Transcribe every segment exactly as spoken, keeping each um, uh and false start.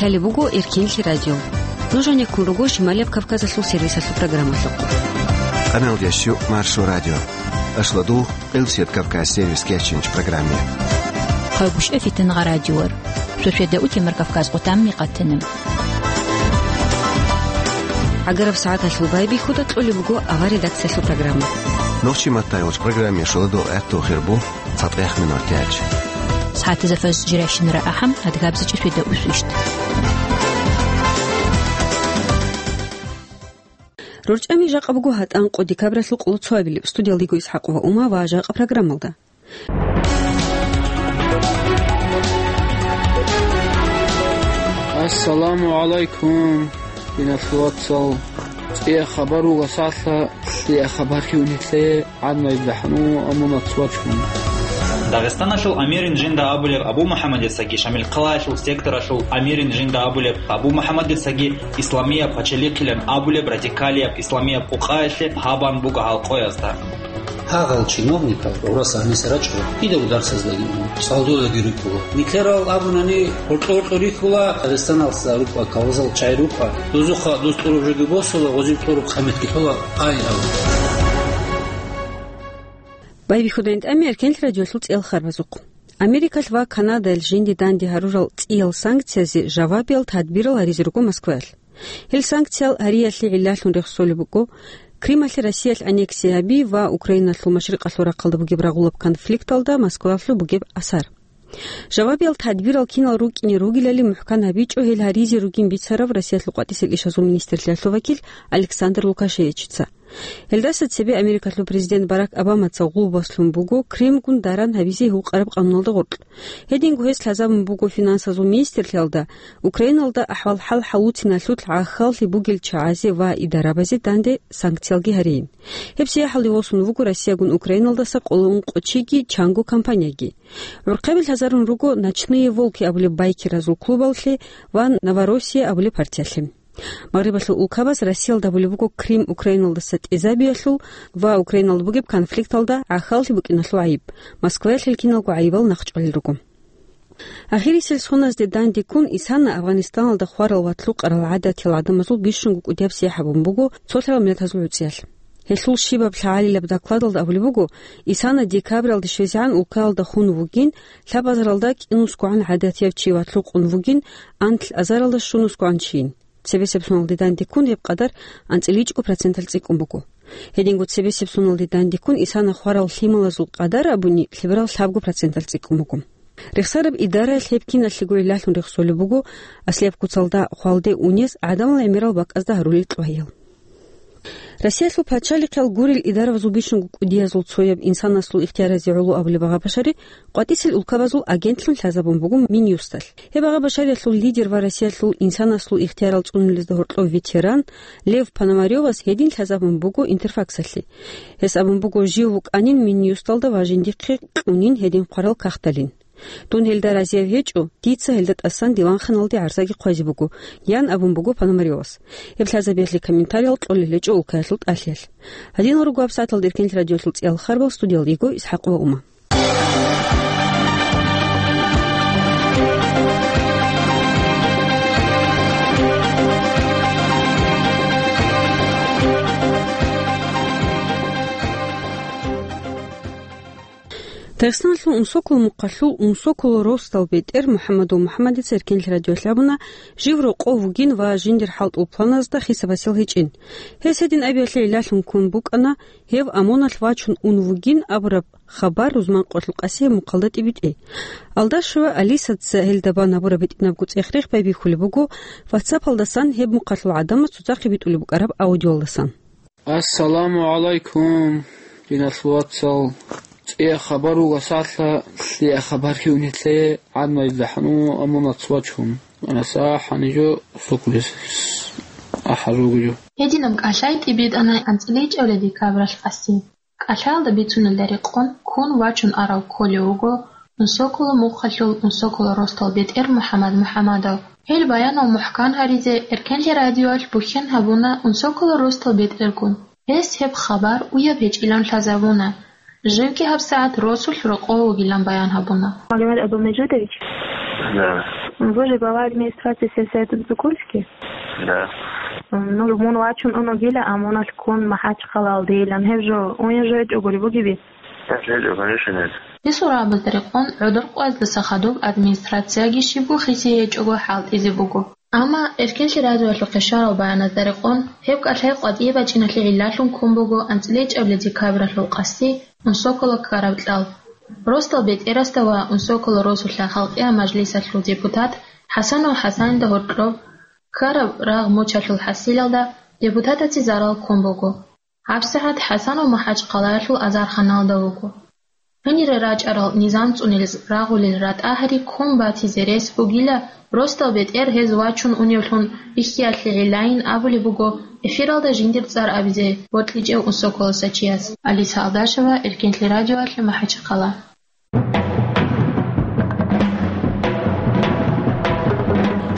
Гьале буго Эркенлъи радио. Нуж гьанеккун руго Шималияб Кавказалъул сервисалъул программалъухъ. Къаналдиящу Маршо радио. Ашладу Къилсият Кавказ сервис кечинч программе. Хъайгушев Фитнагъа радиор. Шошеда утемар Кавказ къутамми къатина. Агараб сагӀаталъул байбихьуда кьолеб буго авар редакциялъул программа. Нохчи маттай уч программе шуладу гӀатту хирбу. Цадгъех минутиялъ. СагӀатизафаз жирайщинара ахӀам, адгабзичӀеб шведа усвищт. РорчӀами жакъа буго гьатӀан къо декабралъул къоло цоабилеб. Студиялда йиго ИсхӀакъова Ума ва жакъа программалда. Ассаламу гӀалайкум, диналъул вацал. ЦӀия хабар вугасалъа, лъия хабар хиунилъе. Гьанна ибдахӀну амунат вачун. Дагъистаналъул амирин жинда абулеб Абу МухӀаммадицаги Шамилхъалаялъул секторалъул амирин жинда абулеб Абу МухӀаммадицаги исламияб пачалихъилан абулеб радикалияб исламияб къукъаялъе гьабан буго гьал къоязда. Гьагъал чиновникал гӀурас гьаниса рачӀо, кидаго дарсаздаги уна, цӀалдолаги рукӀула. Нилъерал абунани, гьоркьо-гьоркьо рихьула, Дагъистаналъа рукӀа, кавазал чай рукӀа. Дозухъа доз тӀураб жоги босула, гъозиб тӀураб къаматги лъола, ай, ай. Байбихьудайн тӀами Эркенлъи радиолъул цӀел харбазухъ. Америкалъ ва Канадалъ жинди данде гьарурал цӀиял санкциязе жавабиял тадбирал гьаризе руго Москваялъ. Гьел санкциял гьариялъе гӀиллалъун рехсолеб буго, Крималъе Россиялъ аннексия гьаби ва Украиналъул машрикъалъул рахъалда бугеб рагъулаб конфликталда Москваялъул бугеб асар. Жавабиял тадбирал кинал рукӀине ругелали мухӀкан гьабичӀо гьел гьаризе ругин бицарав Россиялъул къватӀисел ишазул министрлъиялъул вакил Александр Лукашевичица. Гьелдаса цебе Америкалъул президент Барак Обамаца гъулбаслъун буго Кримгун даран гьабизе гьукъараб къануналда гъоркь. Гьединго гьес лъазабун буго финансазул министрлъиялда Украиналда ахӀвал-хӀал хӀалуциналъулъ гӀахьаллъи бугел чагӀазе ва идарабазе данде санкциялги гьарейин. Гьеб сияхӀалде восун вуго Россиягун Украиналдаса къоло ункъо чиги чанго компанияги. ГӀурхъаби лъазарун руго «Ночные волки» абулеб байкеразул клубалъе ва «Новороссия» абулеб партиялъе. Магърибалъул улкабаз Россиялда абулеб буго Крим Украиналдаса тӀезабиялъул ва Украиналда бугеб конфликталда гӀахьаллъи букӀиналъул гӀайиб. Москваялъ гьел киналго гӀайибал нахъчӀвалел руго. Ахирисел соназде дандеккун исана Афганистаналда хварал ва лъукъарал гӀадатиял гӀадамазул бищунго кӀудияб сихӀабун буго цолъарал миллатазул гӀуцӀиялъ. Гьелъул щибаб лъагӀалилаб докладалда абулеб буго, исана декабралде щвезегӀан улкаялда хун вугин, лъабазаралда кӀинусгогӀан гӀадатияв чи ва лъукъун вугин, анлъ азаралда щунусгогӀан чийин. Цебесеб соналде дандеккун гьеб къадар анцӀила ичӀго проценталъ цӀикӀкӀун буго. Гьединго цебесеб соналде дандеккун исана хварал лъималазул къадар абуни лъеберал лъабго проценталъ цӀикӀкӀун буго. Рехсараб идараялъ гьеб киналъего гӀиллалъун рехсолеб буго, аслияб куцалда хвалде унес гӀадамал гӀемерал бакӀазда гьарулел кьваял. Россиялъул пачалихъал гурел идаравазул бищунго кӀудиязул цояб инсанасул ихтияразе гӀоло абулеб агъа-башари къватӀисел улкабазул агентлъун лъазабун буго Минюсталъ. Гьеб агъа-башариялъул лидер ва Россиялъул инсанасул ихтиярал цӀунулезда гьоркьов ветеран Лев Пономарёвас гьедин лъазабун буго Интерфаксалъе. Гьес абун буго, жив вукӀанин Минюсталда ва жиндихъе кьунин гьедин хъварал кагъталин. Дун гьелда разияв гьечӀо, дица гьелда тӀасан диванханалде гӀарзаги хъвазе буго, ян абун буго Пономарёвас. Гьеб лъазабиялъе комментариял кьолел гьечӀо улкаялъул тӀалъиялъ. Гьадинал руго гьабсагӀаталда Эркенлъи радиолъул цӀиял харбал, студиялда йиго ИсхӀакъова Ума. Дагъистаналъул Унсоколо мухъалъул Унсоколо росдал бетӀер МухӀаммадул МухӀаммадица Эркенлъи радиоялъ абуна, жив рокъов вугин ва жиндир хӀалтӀул планазда хисабасел гьечӀин. Гьес гьедин абиялъе гӀиллалъун ккун букӀана, гьев ОМОНалъ вачун ун вугин абураб хабар Рузманкъоялъул Къасияб мухъалда тӀибитӀе. Алдашева Алисаца гьелда бан гьабураб гьитӀинабго цӀех-рех байбихьулеб буго, ватсапалдасан гьеб мухъалъул гӀадамаз цоцахъе битӀулеб букӀараб аудиолдасан. Ассаламу гӀалайкум, диналъул вацал. ЦӀия хабар вугасалъа, лъия хабар хьунилъе гӀадмайдахӀну амунац вачун. Анаса хӀанижо сукулес ахӀар ругио. Гьединаб кӀалъай тӀибитӀана анцӀила ичӀабилеб декабралъ къаси. КӀалъаялда бицунелда рекъон, ккун вачун арав кколев вуго Унсоколо мухъалъул Унсоколо росдал бетӀер МухӀаммад МухӀаммадов. Гьел баянал мухӀкан гьаризе Эркенлъи радиоялъ бухьен гьабуна Унсоколо росдал бетӀергун. Гьес гьеб хабар уяб гьечӀилан лъазабуна. Живги гьабсагӀат росулъ рокъов вугилан баян гьабуна. Магомед Абдулмежидович? Да. Вы же глава администрации сельсовета Докумский? Да. Ну, мун вачун унагила, а муналъ ккун МахӀачхъалаялдейилан. Гьеб жо уян жо гьечӀогури бугеби? Нет, конечно, нет. Гьесул рагӀабазда рекъон гӀодор къваздаса хадуб администрацияги щибго хиси гьечӀого хӀалтӀизе буго. Амма Эркенлъи радиоялъухъе щварал баяназда рекъон, гьеб кӀалъай къватӀие бачӀиналъе гӀиллалъун ккун буго анцӀила гьечӀебали декабралъул къасди Унсокола ккараб кьал. Росдал бетӀерасда ва Унсокола росулъа халкъиял мажлисалъул депутат ХӀасанов ХӀасанида гьоркьоб ккараб рагъ-мочалъул хӀасилалда депутатазе зарал ккун буго. ГьабсагӀат ХӀасанов МахӀачхъалаялъул азарханалда вуго. Гьенире рачӀарал низам цӀунилез рагъулел ратӀа гьари ккун батизе рес бугила, росдал бетӀер гьез вачун уневлъун бихьиялъе гӀиллайин абулеб буго эфиралда жиндир цӀар абизе бокьичӀев Унсоколаса чияс. Алиса Алдашева, Эркенлъи радиоялъе, МахӀачхъала.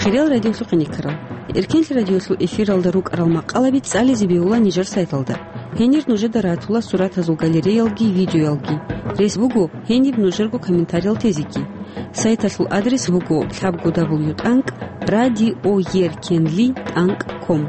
Хириял радиолъухъе никарал. Эркенлъи радиолъул эфиралда рукӀарал макъалаби цӀализе бегьула нижер сайталда. Гьенир нужеда ратула суратазул галереялги видеоялги. Рес буго гьениб нужерго комментариял тезеги. Сайталъул адрес буго лъабго дабл ю тӀанкӀ радиоеркенли тӀанкӀ ком.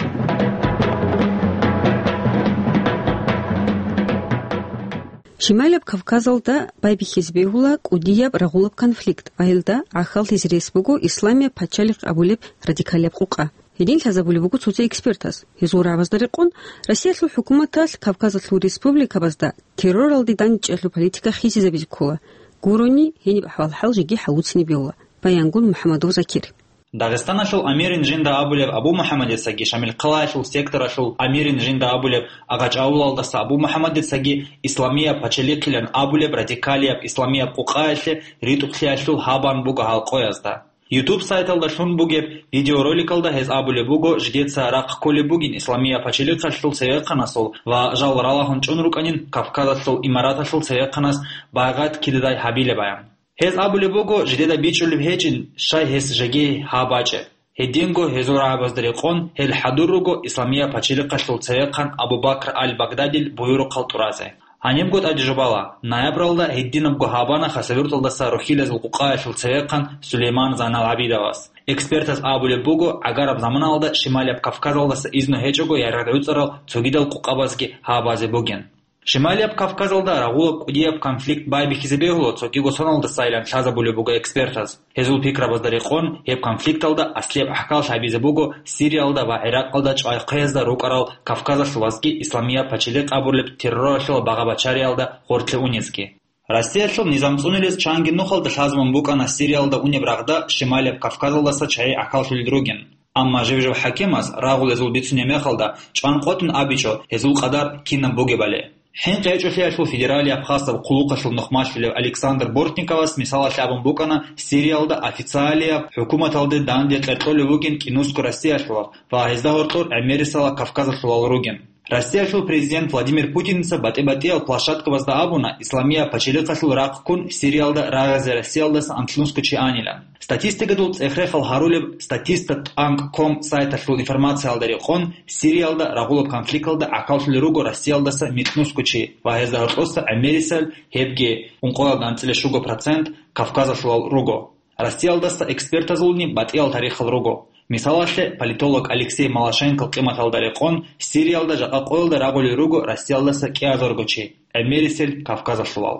Шималияб Кавказалда байбихьизе бегьула кӀудияб рагъулаб конфликт ва гьелда гӀахьаллъизе рес буго Исламияб пачалихъ абулеб радикалияб къукъа. Гьедин лъазабулеб буго цоци экспертаз. Гьезул рагӀабазда рекъон, Россиялъул хӀукуматалъ Кавказалъул республикабазда терроралде дандчӀиялъул политика хисизабизе ккола. Гурони, гьениб ахӀвал-хӀал жеги хӀалуцинеб бегьула. Баянгун МухӀамадов Закир. Дагъистаналъул амирин жинда абулеб Абу МухӀаммадицаги Шамилхъалаялъул секторалъул амирин жинда абулеб Агъачавулалдаса Абу МухӀаммадицаги Исламияб пачалихъилан абулеб радикалияб исламияб къукъаялъе ритӀухълъиялъул гьабан буго гьал къоязда. YouTube сайталда лъун бугеб видеороликалда гьез абулеб буго, жидеца рахъ кколеб бугин Исламияб пачалихъалъул цевехъанасул ва жал ралагьун чӀун рукӀанин Кавказалъул имараталъул цевехъанас байгъат кидадай гьабилеб аян. Гьез абулеб буго, жидеда бичӀчӀулеб гьечӀин, щай гьес жеги гьаб бачӀеб. Гьединго гьезул рагӀабазда рекъон, гьел хӀадур руго Исламияб пачалихъалъул цевехъан Абу Бакр аль-Багдадил буюрухъал тӀуразе. Гьанибго тӀаде жубала, ноябралда гьединабго гьабана ХасавюртӀалдаса Рухьилазул къукъаялъул цевехъан Сулейман Зайнал ГӀабидовас. Экспертаз абулеб буго, гӀагараб заманалда Шималияб Кавказалдаса изну гьечӀого яргъ-гӀуцӀарал цогидал къукъабазги гьабазе бугин. Шималияб Кавказалда рагъулаб кӀудияб конфликт байбихьизе бегьула цогиго соналдасайилан лъазабулеб буго экспертаз. Гьезул пикрабазда рекъон, гьеб конфликталда аслияб гӀахьаллъи гьабизе буго Сириялда ва ГӀиракъалда чӀвай хъвеязда рукӀарал Кавказалъулазги Исламияб пачалихъ абураб терроралъул багъа-бачариялда гъоркье унезги. Россиялъул низам цӀунилез чанги нухалда лъазабун букӀана Сириялда унеб рагъда Шималияб Кавказалдаса чагӀи гӀахьаллъулел ругин. Амма жив-жив хӀакимаз рагъулезул бицунеб мехалда чӀван къотӀун абичӀо гьезул къадар кинаб бугебали. ХӀинкъи гьечӀолъиялъул федералияб хасаб хъулухъалъул нухмалъулев Александр Бортниковас мисалалъе абун букӀана Сириялда официалияб хӀукуматалде данде кьеркьолев вугин кӀинусго Россиялъулал ва гьезда гьоркьор гӀемерисела Кавказалъулал ругин. Россиялъул президент Владимир Путинца батӀи-батӀиял площадкабазда абуна, Исламияб пачалихъалъул рахъ ккун Сириялда рагъизе Россиялдаса анлънусго чи анилан. Статистикадул цӀех-рехал гьарулеб статиста тӀанкӀ ком сайталъул информациялда рекъон, Сириялда рагъулаб конфликталда гӀахьаллъулел руго Россиялдаса микьнусго чи ва гьезда гьоркьоса гӀемерисел гьебги ункъоялда анцӀила щуго процент Кавказалъулал руго. Россиялдаса экспертазулни батӀиял тарихал руго. Мисалалъе, политолог Алексей Малашенкол къиматалда рекъон, Сириялда жакъа къоялда рагъулел руго Россиялдаса кӀиазарго чи, гӀемерисел Кавказалъулал.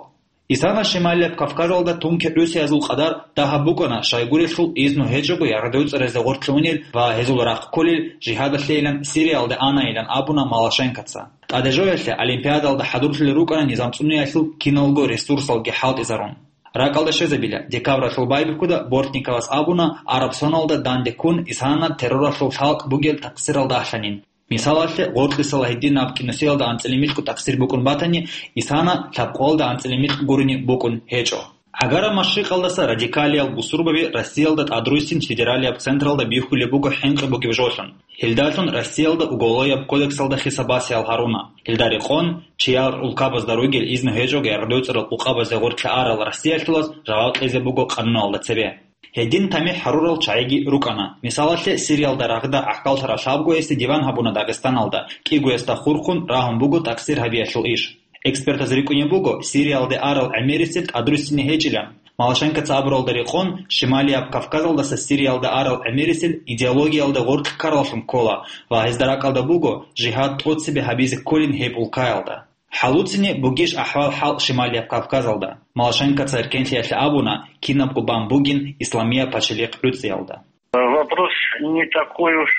Исана Шималияб Кавказалда тунки гӀусиязул къадар дагьаб букӀана, щайгурелъул изну гьечӀого яргъдевцӀаразе гъоркье унел ва гьезул рахъ кколел жигьадалъейилан Сириялде анайилан абуна Малашенкоца. ТӀадежоялъе Олимпиадалда хӀадурлъулел рукӀана низам цӀуниялъул киналго ресурсалги хӀалтӀизарун. РакӀалда щвезабила, декабралъул байбихьуда Бортниковас абуна, араб соналда данде ккун Исана терроралъул лъалкӀ бугел такъсирал дагьлъанин. Мисалалъе, гъоркьисала гьединаб кӀинусиялда анцӀила микьго такъсир букӀун батани, Исана лъабкъоялда анцӀила микь гурони букӀун гьечӀо. ГӀагараб машрикъалдаса радикалиял бусурбаби Россиялда тӀадруссин федералияб централда бихьулеб буго хӀинкъи бугеб жолъун. Гьелдалъун Россиялда Уголовияб кодексалда хисаб басиял гьаруна. Гьелда рекъон, чияр улкабазда ругел изну гьечӀого яргъдевцӀарал къукъабазе гъоркье арал Россиялъулаз жаваб кьезе буго къануналда цебе. Гьедин тамихӀ гьарурал чагӀиги рукӀана. Мисалалъе, Сириялда рагъда гӀахьаллъараб лъабго гьесде диван гьабуна Дагъистаналда, кӀиго гьесда хурхун рагьун буго такъсир гьабиялъул иш. Экспертаз рикӀкӀунеб буго, Сириялде арал гӀемерисел тӀадруссине гьечӀилан. Малашенкоца абуралда рекъон, Шималияб Кавказалдаса Сириялда арал гӀемерисел идеологиялда гъоркь ккараллъун ккола ва гьезда ракӀалда буго жигьад тӀоцебе гьабизе кколин гьеб улкаялда. ХӀалуцин бугищ ахӀвал-хӀал Шималияб Кавказалда? Малашенкоца эркенлъиялъе абуна, кинабго бан бугин исламияб пачалихъ гӀуцӀиялда. Вопрос не такой уж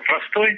простой.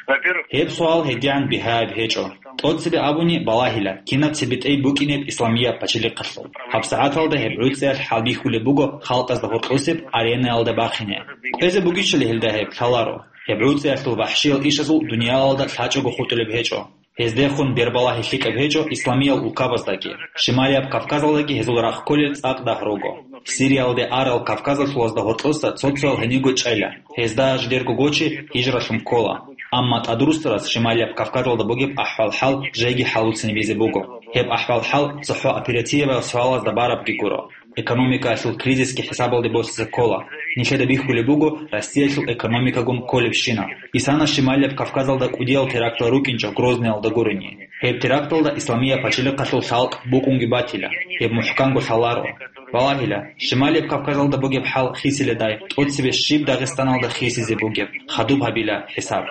Во-первых, Гьеб суал гьедигӀан бигьаяб гьечӀо. ТӀоцебе абуни балагьила, кинаб цебетӀей букӀинеб исламияб пачалихъалъул. ГьабсагӀаталда гьеб гӀуцӀиялъ хӀалбихьулеб буго халкъазда гьоркьосеб аренаялда бахине. КӀвезе бугищали гьелда гьеб лъаларо. Гьеб гӀуцӀиялъул вахӀшиял ишазул дуниялалда лъачӀого хутӀулеб гьечӀо. Гьездехун бербалагьи лъикӀаб гьечӀо исламиял улкабаздаги, Шималияб Кавказалдаги гьезул рахъ кколел цӀакъ дагь руго. Сириялде арал кавказалъулазда гьоркьоса цо-цоял гьениго чӀела, гьезда жидерго гочи гьижралъун ккола. Амма тӀадруссарас Шималияб Кавказалда бугеб ахӀвал-хӀал жеги хӀалуцинабизе буго. Гьеб ахӀвал-хӀал цохӀо оперативаяб суалазда барабги гуро. Экономикаялъул кризисги хӀисабалде босизе ккола. Нилъеда бихьулеб буго Россиялъул экономикагун кколебщинаб. Исана Шималияб Кавказалда кӀудиял терактал рукӀинчӀо Грозныялда гурони. Гьеб теракталда исламияб пачалихъалъул лъалкӀ букӀунги батила. Гьеб мухӀканго лъаларо. Балагьила, Шималияб Кавказалда бугеб хӀал хисиледай, тӀоцебе щиб Дагъистаналда хисизе бугеб, хадуб гьабила хӀисаб.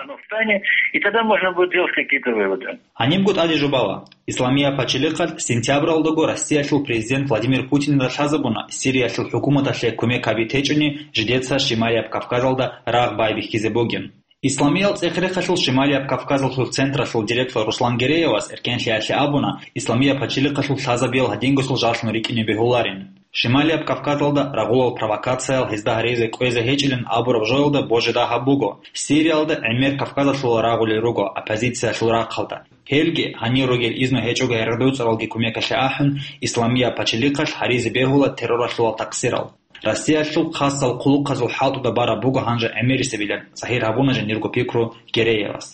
И тогда можно будет делать какие-то выводы. Гьанибго тӀаде жубала. Исламияб пачалихъалъ сентябралдаго Россиялъул президент Владимир Путинда лъазабуна, Сириялъул хӀукуматалъе кумек гьаби течӀони, жидеца Шималияб Кавказалда рагъ байбихьизе бугин. Исламиял цӀех-рехалъул Шималияб Кавказалъул централъул директор Руслан Гереевас эркенлъиялъе абуна, исламияб пачалихъалъул лъазабиял гьадингосул жаллъун рикӀкӀине бегьуларин. Шималияб Кавказалда рагъулал провокациял гьезда гьаризе кӀвезе гьечӀилин абураб жоялда божи дагьаб буго, Сириялда гӀемер Кавказалъула рагъулел руго оппозициялъул рахъалда. Гьелги, гьанир ругел изну гьечӀого гӀергъи-дуцӀаралги кумекалъе ахӀун, исламияб пачалихъалъ гьаризе бегьула терроралъулал такъсирал. Россиялъул хасал хъулухъазул хӀалтӀуда бараб буго гьанже гӀемерисебилан, загьир гьабуна жиндирго пикру Гереевас.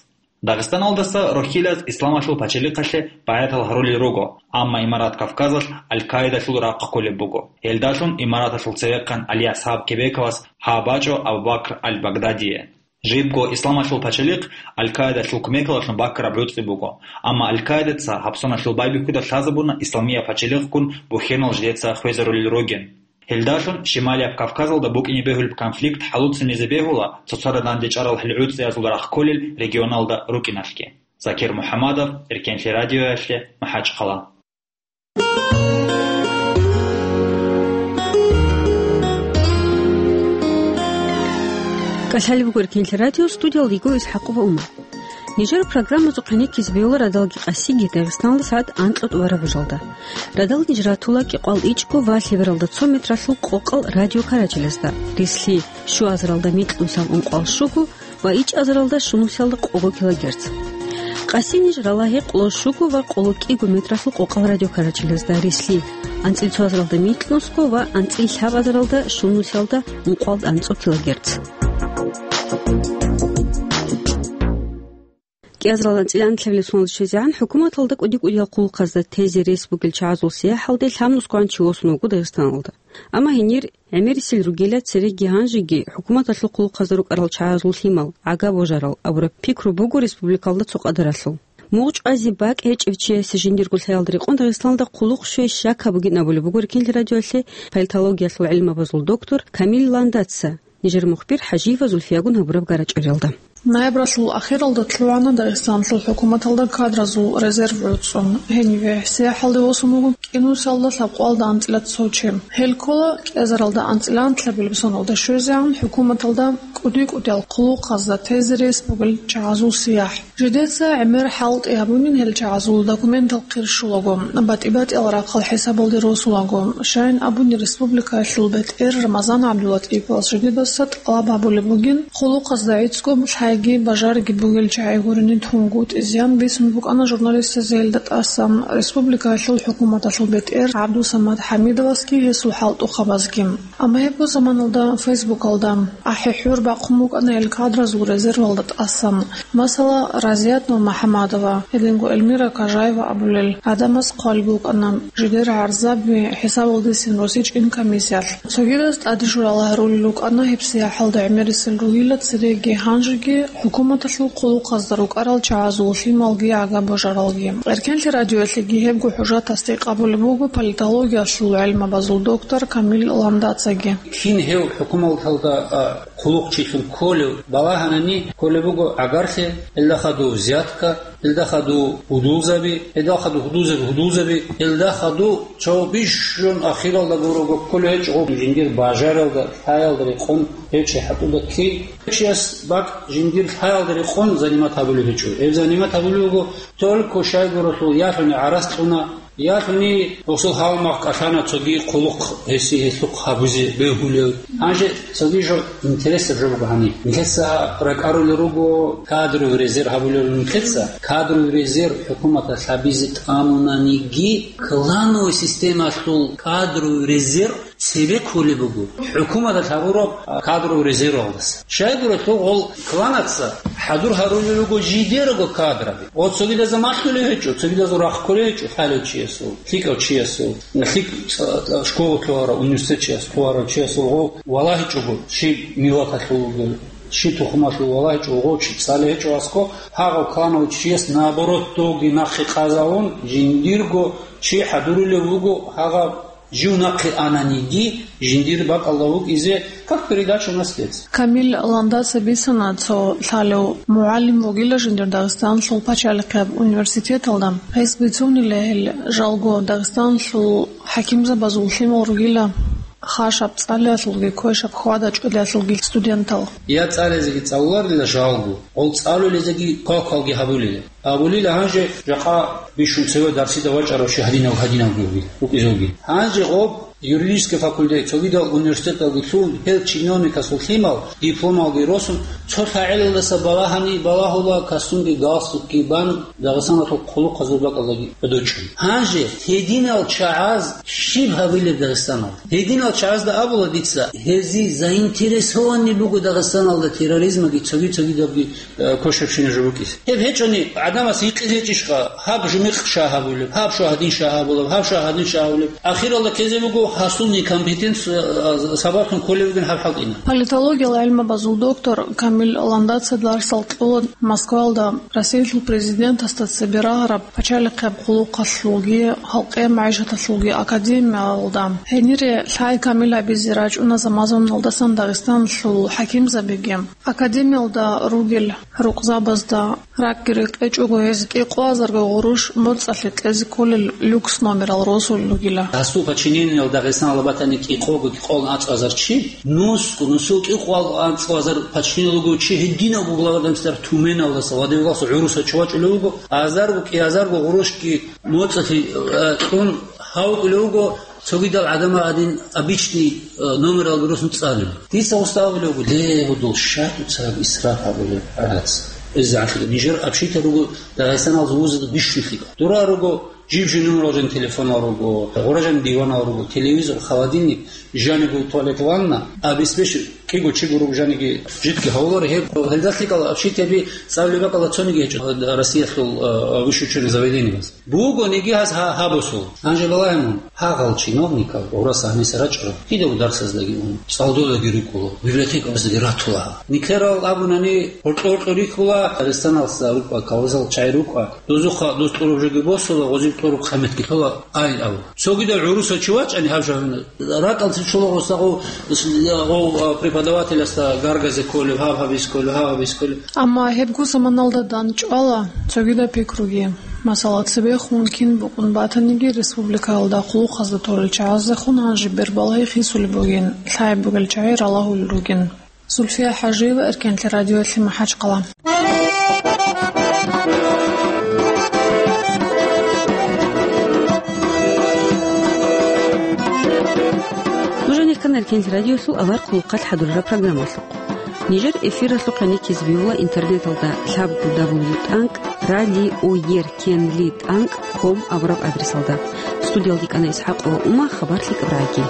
Дагъистаналдаса рохьилаз исламалъул пачалихъалъе байгӀатал гьарулел руго, амма Имарат Кавказалъ Аль-Каидалъул рахъ кколеб буго. Гьелдалъун Имараталъул цевехъан Али Асхаб Кебековас гьа бачӀо Абу Бакр Аль-Багдадие. Жибго исламалъул пачалихъ Аль-Каидалъул кумекалъун баккараб гӀуцӀи буго, амма Аль-Каидаца гьабсаналъул байбихьуда лъазабуна исламияб пачалихъгун бухьенал жидеца хвезарулел ругин. Гьелдалъун Шималияб Кавказалда букӀине бегьулеб конфликт хӀалуцинезе бегьула цоцазда данде чӀарал гьел гӀуцӀиязул рахъ кколел регионалда рукӀиналъги. Закир МухӀаммадов, Эркенлъи радиоялъе, МахӀачхъала. КӀалъалеб буго Эркенлъи радио, студиялда йиго ИсхӀакъова Умар. Нижер программазухъе нилъезе бегьула радалги къасиги Дагъистаналда сагӀат анкьа тӀубараб бажалда. Радал ниж ратула кӀикъвал ичӀго ва лъебералда цо метралъул къокъал радио карачелазда, рислъи, щуазаралда микьнусал ункъвал щуго ва ичӀазаралда щунусиялда къого килогерц. Къаси ниж рала гьекъоло щуго ва къоло кӀиго метралъул къокъал радиокарачелазда, рислъи, анцӀил цоазаралда микьнусго ва анцӀил лъабазаралда щунусиялда ункъвал анцӀо килогерц. КӀиазаралда анцӀил анлъабилеб соналда щвезегӀан хӀукуматалда кӀуди-кӀудиял хъулухъазда тезе рес бугел чагӀазул сияхӀалде лъабнусгоан чи восун вуго Дагъистаналда. Амма гьенир гӀемерисел ругила цереги гьанжеги хӀукуматалъул хъулухъазда рукӀарал чагӀазул лъимал, гӀага божарал абураб пикру буго республикалда цо къадаралъул. Мугъ чӀвазе бакӀ гьечӀев чиясе жиндирго лъаялда рекъон Дагъистаналда хъулухъ щвей щак гьабугин абулеб буго Эркенлъи радиоялъе политологиялъул гӀилмабазул доктор Камил Ландаца нижер мухбир ХӀажиева Зульфиягун гьабураб гарачӀалиялда. Ноябралъул ахиралда лъугӀана Дагъистаналъул хӀукуматалда кадразул резерв гӀуцӀун. Гьениве, сияхӀалде восун вуго кӀинусиялда лъабкъоялда анцӀила цо чи. Гьел ккола кӀиазаралда анцӀила анлъабилеб соналда щвезегӀан хӀукуматалда кӀуди-кӀудиял хъулухъазда тезе рес бугел чагӀазул сияхӀ. Жидеца гӀемер хӀалтӀи гьабунин гьел чагӀазул документал хъирщулаго, батӀи-батӀиял рахъал хӀисабалде росулаго. Щайин абуни, республикаялъул бетӀер Рамазан ГӀабдуллатӀиповас жидедаса тӀалаб гьабулеб бугин, хъулухъазда гӀицӀго лъайги бажариги бугел чагӀи гурони тунгутӀи зиян бицун букӀана журналистазе гьелда тӀасан. Республикаялъул хӀукуматалъул бетӀер ГӀабдусамат ХӀамидовасги гьесул хӀалтӀухъабазги. Амма гьеб заманалда Фейсбукалда ахӀи-хӀур бахъун букӀана гьел кадразул резервалда тӀасан. Масала, Азият Нурмухьамадова, гьединго Эльмира Кажаева абулел гӀадамаз хъвалеб букӀана жидер гӀарзаби хӀисабалдесин росичӀин комиссиялъ. Цогидаз тӀаде журал гьарулел рукӀана гьебсагӀаталда гӀемерисел ругила цереги гьанжеги хӀукуматалъул хъулухъазда рукӀарал чагӀазул лъималги гӀага-божаралги. Эркенлъи радиоялъеги гьебго хӀужат тасдикъ гьабулеб буго политологиялъул гӀелмабазул доктор Камил Ландацаги. Кин гьев хӀукуматалда, а, хъулухъчилъун кколев балагьанани кколеб буго гӀагарлъи, гьелда хадув взятка, гьелда хадув гьудулзаби, гьелда хадув гьудулзаби, гьудулзаби, гьелда хадув цо бищун ахиралда гурого кколев гьечӀо, жиндир бажаралда, лъаялда рекъон гьев чи хӀатӀуда ккей. Чияс бакӀ жиндир лъаялда рекъон занимат гьабулеб гьечӀо. Гьеб занимат гьабулеб буго только щайгурелъул ялъуни гӀарац кьуна, ялъуни гъосул гьалмагъ кӀалъана цоги хъулухъ гьесие гьелъухъ гьабизе бегьулев. Гьанже цоги жо интересаб жо буго гьаниб. Нилъеца ракӀарулел руго кадровый резерв гьабулел нилъеца. Кадровый резерв хӀукуматалъ гьабизе тӀамунаниги, клановый системалъул кадровый резерв цебе кколеб буго. ХӀукуматалъ гьабураб, а, кадровый резервалдаса. Щайгурелъул гъол кланаца хӀадур гьарулел руго жидерго кадраби. Гъо цогидазда малъулев гьечӀо, цогидазул рахъ кколев гьечӀо хӀалев чиясул, лъикӀав чиясул, лъикӀ, а, школа лъугьарав, университет чияс лъугьарав чиясул гъо валагьичӀого, щиб миллаталъул вугев, щиб тухумалъул валагьичӀого гъо чи цӀалев гьечӀо аскӀо, гьагъав клановый чияс наоборот доги нахъе къазавун, жиндирго чи хӀадурулев вуго гьагъав. Жив нахъе ананиги, жиндир бакӀалда вукӀизе, как передача наследства. Камил Ландаса бицана цо лъалев мугӀалим вугила жиндир Дагъистаналъул пачалихъеб университеталда. Гьес бицунила гьел жалго Дагъистаналъул хӀакимзабазул лъимал ругила хашаб цӀалиялъулги квешаб хьвада-чӀвалиялъулги студентал. Я цӀализеги цӀалуларила жалго, гъол цӀалулезеги квалквалги гьабулила. Абулила гьанже жакъа бищун цеве дарсида вачӀарав чи гьадинав-гьадинавги вугил, вукӀизевги. Гьанже гъоб юридический факультет, цогидал университеталги лъун, гьел чиновникасул лъимал, дипломалги росун, цо лъагӀелалдаса балагьани балагьула, касунги галстукги бан, Дагъистаналъул хъулухъазул бакӀалдаги гӀодочӀун. Гьанже гьединал чагӀаз щиб гьабилеб Дагъистаналда? Гьединал чагӀазда абула дица, гьезие заинтересованный буго Дагъистаналда терроризмаги цоги-цогидабги э, кошебщина жо букӀизе. Гьеб гьечӀони, гӀадамас гьикъизе гьечӀищха, гьаб жумихъ ша гьабулеб, гьаб ша гьадин ша гьабулеб, гьаб ша гьадин ша гьабулеб. Ахиралда ккезе буго гьасул некомпетенция, э, сабаблъун кколеб бугин гьаб хӀалтӀина. Политологиял гӀелмабазул доктор Камил Ландацаца дарсал кьола Москвалда Россиялъул президентасда цебе рагъараб пачалихъеб хъулухъалъулги, халкъе магӀишаталъулги академиялда. Гьенире лъай камил гьабизе рачӀуна заман-заманалдасан Дагъистаналъул хӀакимзабиги. Академиялда ругел рукъзабазда ракӀги рекъечӀого гьез кӀикъоазарго гъурущ моцӀалъе кьезе кколел люкс номерал росулел ругила. Гьасул подчинениялда Дагъистаналда батани кӀикъого-кӀикъоялда анцӀазар чи, нусго, нусул кӀикъоялда анцӀазар подчинениялда руго чи гьединавго глава государства Тюменалдаса, Владивостокалдаса гӀурусав чи вачӀулев вуго, азарго-кӀиазарго гъурущги моцӀалъе, э, кьун гьавукӀулев вуго. Цогидал гӀадамал гьадин обычный, э, номералги росун цӀалулел. Дица гъосда абулеб буго, ле, гьудул, щай дуца гьаб исраф гьабулеб гӀарац? ИззагӀанлъи нижер общагиял руго Дагъистаналъул вузазда бищун лъикӀал. Дура руго, жиб-жиб номерал жаниб телефонал руго, гъура жаниб диванал руго, телевизор, холодильник, жаниб туалет, ванна, обеспечить кӀиго-чиго руго жаниги жидги гьавуларо гьеб, гьелда лъикӀал общагияби цӀалулеб бакӀалда цониги гьечӀо Россиялъул, э, высшее учебное заведениебаз. Бугониги гьас гьа-, гьабусул. Гьанже балагье мун, гьагъал чиновникал гъурас гьаниса рачӀарал, кидаго дарсаздаги ун, цӀалдодаги рукӀула, библиотекабаздаги ратула гьа. Нилъерал абунани, гьоркьо-гьоркьо рихьула, Дагъистаналдаса рукӀа, Кавказалъул чагӀи рукӀа, дозухъа доз тӀураб жоги босула, гъозиб тӀураб хъаметги лъола, ай абу. Цогидал гӀурусав чи вачӀани гьаб жавина, ракӀалде чула гъосда гъов, гъов, а, преподавателасда гаргазе кколев, гьаб гьабизе кколев, гьаб гьабизе кколев. Амма гьебго заманалда дандчӀвала цогидаб пикруги. Масала, цебехун кин букӀун батаниги, республикаялда хъулухъазда толел чагӀаздехун гьанже бербалагьи хисулеб бугин, лъай бугел чагӀи ралагьулел ругин. Зульфия ХӀажиева, Эркенлъи радиоялъе, МахӀачхъала. Нуж гьанир ккана Эркенлъи радиоялъул авар хъулухъалъ хӀадурараб программалъухъ. Нижер эфиралъухъ гӀенеккизе бегьула интернеталда лъабго дабл ю тӀанкӀ радиоеркенлъи тӀанкӀ ком абураб адресалда. Студиялда кӀана ИсхӀакъова Ума, хабар лъикӀаб рагӀи.